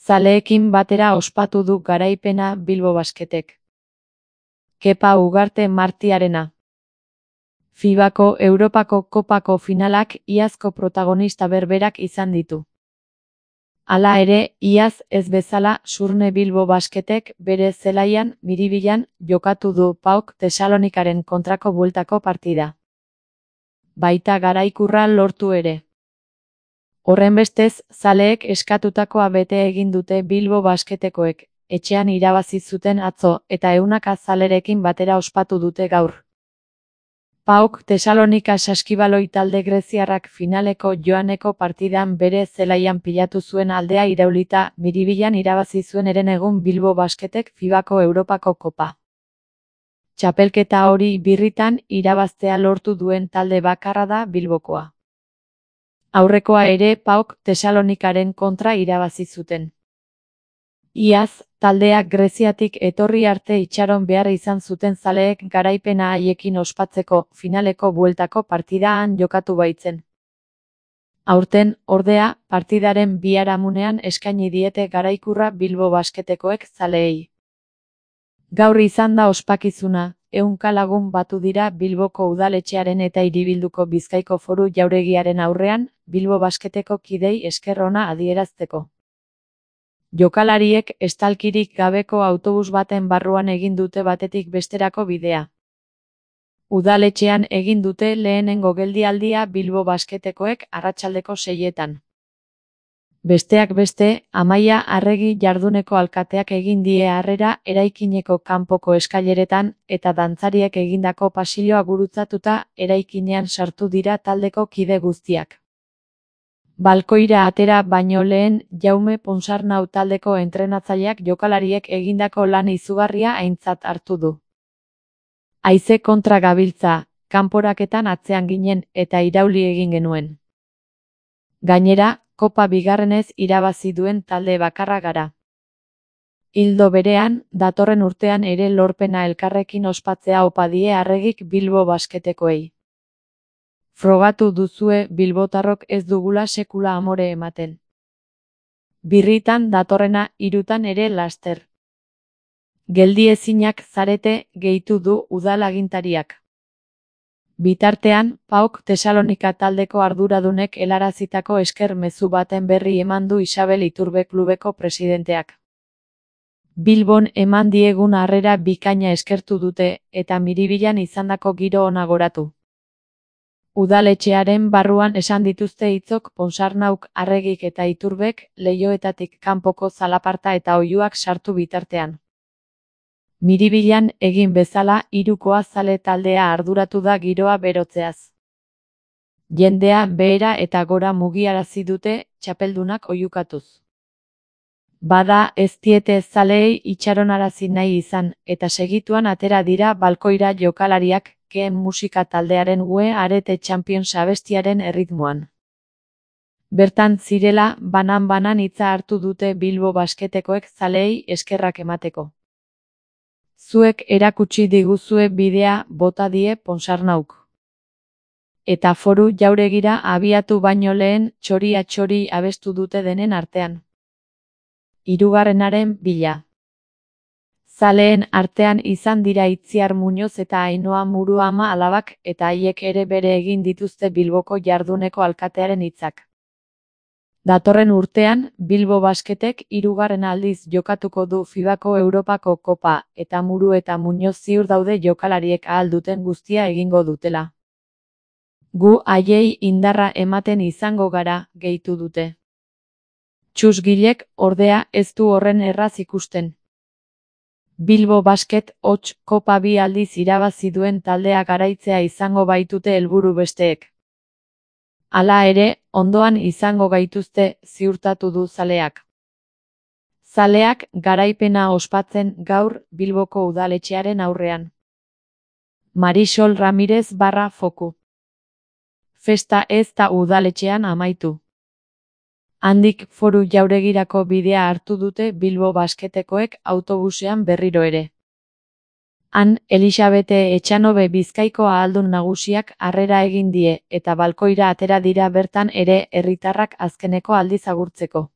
Zaleekin batera ospatu du garaipena Bilbo Basketek. Kepa Ugarte Martiarena. FIBako Europako Kopako finalak iazko protagonista berberak izan ditu. Hala ere, iaz ez bezala Surne Bilbo Basketek bere zelaian Miribilan jokatu du PAOK Tesalonikaren kontrako bueltako partida. Baita garaikurra lortu ere. Horrenbestez, zaleek eskatutakoa bete egin dute Bilbo Basketekoek, etxean irabazi zuten atzo eta ehunaka zalerekin batera ospatu dute gaur. PAOK Tesalonika saskibaloi talde greziarrak finaleko joaneko partidan bere zelaian pilatu zuen aldea iraulita Miribilan irabazi zuen herenegun Bilbo Basketek FIBako Europako Kopa. Txapelketa hori birritan irabaztea lortu duen talde bakarra da Bilbokoa. Aurrekoa ere PAOK Tesalonikaren kontra irabazi zuten. Iaz, taldeak Greziatik etorri arte itxaron behar izan zuten zaleek garaipena haiekin ospatzeko finaleko bueltako partida han jokatu baitzen. Aurten, ordea, partidaren biharamunean eskaini diete garaikurra Bilbo Basketekoek zaleei. Gaur izan da ospakizuna, 100 lagun batu dira Bilboko udaletxearen eta Hiribilduko Bizkaiko Foru Jauregiaren aurrean, Bilbo Basketeko kidei esker ona adierazteko. Jokalariek estalkirik gabeko autobus baten barruan egin dute batetik besterako bidea. Udaletxean egin dute lehenengo geldialdia Bilbo Basketekoek arratsaldeko 6etan. Besteak beste, Amaia Arregi jarduneko alkateak egin die harrera eraikineko kanpoko eskaileretan eta dantzariek egindako pasilloa gurutzatuta eraikinean sartu dira taldeko kide guztiak. Balkoira atera baino lehen Jaume Ponsarnau taldeko entrenatzaileak jokalariek egindako lan izugarria aintzat hartu du. Haize kontra gabiltza, kanporaketan atzean ginen eta irauli egin genuen. Gainera, Kopa bigarrenez irabazi duen talde bakarra gara. Ildo berean, datorren urtean ere lorpena elkarrekin ospatzea opa die Arregik Bilbo Basketekoei. Frogatu duzue bilbotarrok ez dugula sekula amore ematen. Birritan datorrena 3 ere laster. Geldiezinak zarete, gehitu du udal agintariak. Bitartean, PAOK Tesalonika taldeko arduradunek helarazitako esker mezu baten berri eman du Isabel Iturbe klubeko presidenteak. Bilbon eman diegun harrera bikaina eskertu dute eta Miribilan izandako giro ona goratu. Udaletxearen barruan esan dituzte hitzok Ponsarnauk, Arregik eta Iturbek leihoetatik kanpoko zalaparta eta oihuak sartu bitartean. Miribilan egin bezala hirukoa zale taldea arduratu da giroa berotzeaz. Jendea behera eta gora mugiarazi dute txapeldunak oihukatuz. Bada ez diete zaleei itxaronarazi nahi izan eta segituan atera dira balkoira jokalariak Keen musika taldearen Ue Arete Champions abestiaren erritmoan. Bertan zirela banan-banan hitza hartu dute Bilbo Basketekoek zaleei eskerrak emateko. Zuek erakutsi diguzue bidea bota die Ponsarnauk. Eta Foru Jauregira abiatu baino lehen txori-atxori abestu dute denen artean. 3. bila. Zaleen artean izan dira Itziar Muñoz eta Ainhoa Muruama alabak eta haiek ere bere egin dituzte Bilboko jarduneko alkatearen hitzak. Datorren urtean, Bilbo Basketek 3. aldiz jokatuko du FIBako Europako Kopa eta Muru eta Muñoz ziur daude jokalariek ahal duten guztia egingo dutela. Gu haiei indarra ematen izango gara, gehitu dute. Txusgilek, ordea, ez du horren erraz ikusten. Bilbo Basket hots Kopa 2 aldiz irabazi duen taldea garaitzea izango baitute helburu besteek. Hala ere, ondoan izango gaituzte ziurtatu du zaleak. Zaleak garaipena ospatzen gaur Bilboko udaletxearen aurrean. Marisol Ramirez /Foku. Festa ez da udaletxean amaitu. Handik Foru Jauregirako bidea hartu dute Bilbo Basketekoek autobusean berriro ere. Han, Elisabete Etxanobe Bizkaiko ahaldun nagusiak harrera egin die eta balkoira atera dira bertan ere herritarrak azkeneko aldiz agurtzeko.